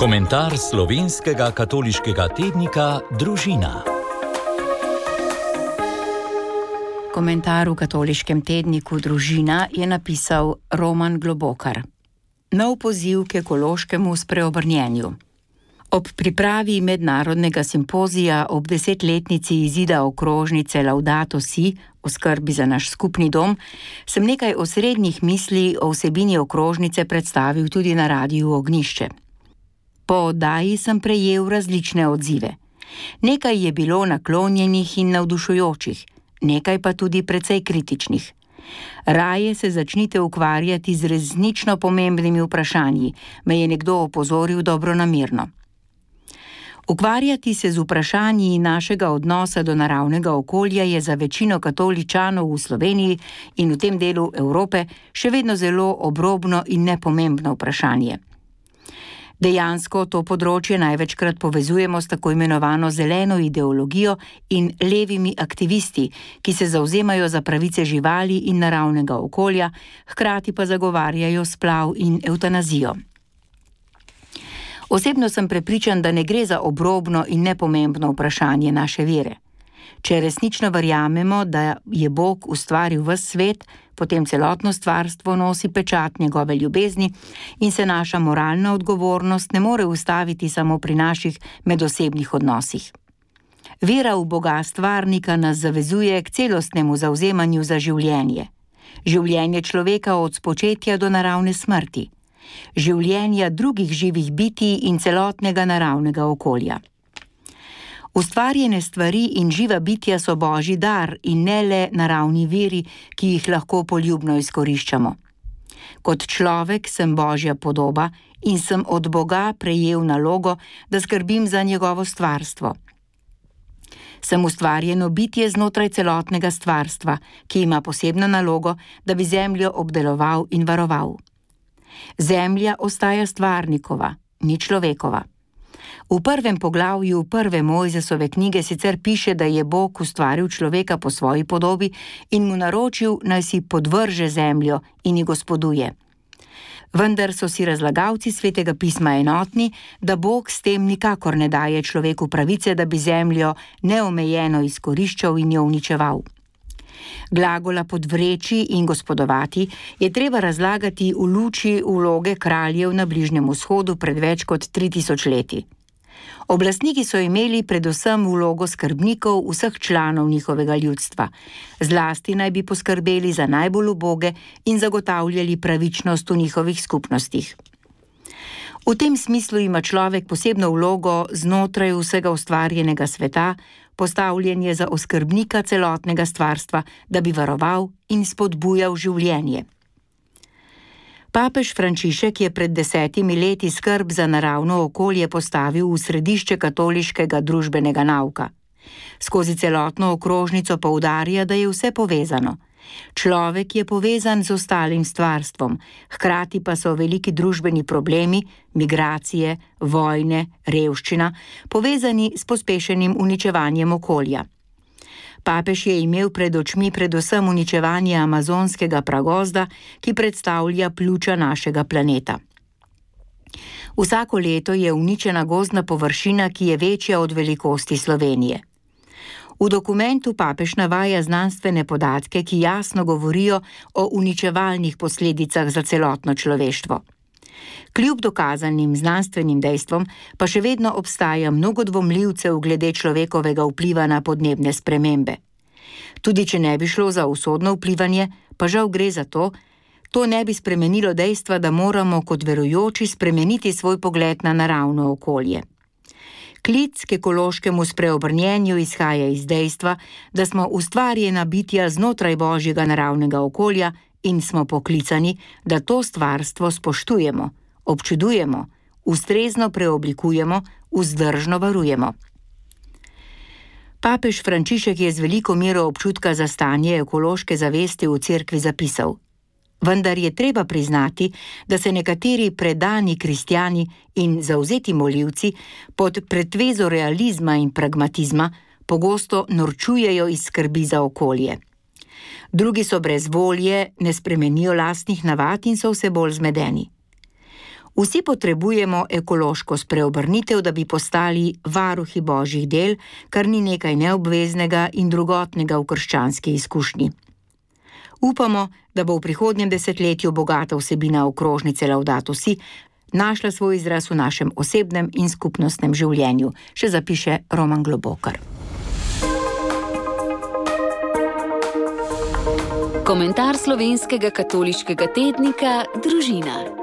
Komentar slovenskega katoliškega tednika Družina. Komentar v katoliškem tedniku Družina je napisal Roman Globokar. Nov poziv k ekološkemu spreobrnjenju. Ob pripravi mednarodnega simpozija ob 10-letnici izida okrožnice Laudato Si o skrbi za naš skupni dom, sem nekaj osrednjih misli o vsebini okrožnice predstavil tudi na Radiu Ognjišče. Po oddaji sem prejel različne odzive. Nekaj je bilo naklonjenih in navdušujočih, nekaj pa tudi precej kritičnih. Raje se začnite ukvarjati z resnično pomembnimi vprašanji, me je nekdo opozoril dobronamerno. Ukvarjati se z vprašanji našega odnosa do naravnega okolja je za večino katoličanov v Sloveniji in v tem delu Evrope še vedno zelo obrobno in nepomembno vprašanje. Dejansko to področje največkrat povezujemo s tako imenovano zeleno ideologijo in levimi aktivisti, ki se zavzemajo za pravice živali in naravnega okolja, hkrati pa zagovarjajo splav in evtanazijo. Osebno sem prepričan, da ne gre za obrobno in nepomembno vprašanje naše vere. Če resnično verjamemo, da je Bog ustvaril ves svet, potem celotno stvarstvo nosi pečat njegove ljubezni in se naša moralna odgovornost ne more ustaviti samo pri naših medosebnih odnosih. Vera v Boga stvarnika nas zavezuje k celostnemu zavzemanju za življenje. Življenje človeka od spočetja do naravne smrti. Življenja drugih živih bitij in celotnega naravnega okolja. Ustvarjene stvari in živa bitja so Božji dar in ne le naravni viri, ki jih lahko poljubno izkoriščamo. Kot človek sem Božja podoba in sem od Boga prejel nalogo, da skrbim za njegovo stvarstvo. Sem ustvarjeno bitje znotraj celotnega stvarstva, ki ima posebno nalogo, da bi zemljo obdeloval in varoval. Zemlja ostaja stvarnikova, ni človekova. V prvem poglavju prve Mojzesove knjige sicer piše, da je Bog ustvaril človeka po svoji podobi in mu naročil, naj si podvrže zemljo in ji gospoduje. Vendar so si razlagalci Svetega pisma enotni, da Bog s tem nikakor ne daje človeku pravice, da bi zemljo neomejeno izkoriščal in jo uničeval. Glagola podvreči in gospodovati je treba razlagati v luči vloge kraljev na Bližnjem vzhodu pred več kot 3000 leti. Oblastniki so imeli predvsem vlogo skrbnikov vseh članov njihovega ljudstva, zlasti naj bi poskrbeli za najbolj uboge in zagotavljali pravičnost v njihovih skupnostih. V tem smislu ima človek posebno vlogo znotraj vsega ustvarjenega sveta, postavljen je za oskrbnika celotnega stvarstva, da bi varoval in spodbujal življenje. Papež Frančišek je pred 10 leti skrb za naravno okolje postavil v središče katoliškega družbenega nauka. Skozi celotno okrožnico poudarja, da je vse povezano. Človek je povezan z ostalim stvarstvom, hkrati pa so veliki družbeni problemi, migracije, vojne, revščina, povezani s pospešenim uničevanjem okolja. Papež je imel pred očmi predvsem uničevanje amazonskega pragozda, ki predstavlja pljuča našega planeta. Vsako leto je uničena gozdna površina, ki je večja od velikosti Slovenije. V dokumentu papež navaja znanstvene podatke, ki jasno govorijo o uničevalnih posledicah za celotno človeštvo. Kljub dokazanim znanstvenim dejstvom pa še vedno obstaja mnogo dvomljivcev glede človekovega vpliva na podnebne spremembe. Tudi če ne bi šlo za usodno vplivanje, pa žal gre za to ne bi spremenilo dejstva, da moramo kot verujoči spremeniti svoj pogled na naravno okolje. Klic k ekološkemu spreobrnjenju izhaja iz dejstva, da smo ustvarjena bitja znotraj Božjega naravnega okolja in smo poklicani, da to stvarstvo spoštujemo, občudujemo, ustrezno preoblikujemo, vzdržno varujemo. Papež Frančišek je z veliko mero občutka za stanje ekološke zavesti v cerkvi zapisal: vendar je treba priznati, da se nekateri predani kristjani in zavzeti molivci pod pretvezo realizma in pragmatizma pogosto norčujejo iz skrbi za okolje. Drugi so brez volje, ne spremenijo lastnih navad in so vse bolj zmedeni. Vsi potrebujemo ekološko spreobrnitev, da bi postali varuhi božjih del, kar ni nekaj neobveznega in drugotnega v krščanski izkušnji. Upamo, da bo v prihodnjem desetletju bogata vsebina okrožnice Laudato Si našla svoj izraz v našem osebnem in skupnostnem življenju, še zapiše Roman Globokar. Komentar slovenskega katoliškega tednika Družina.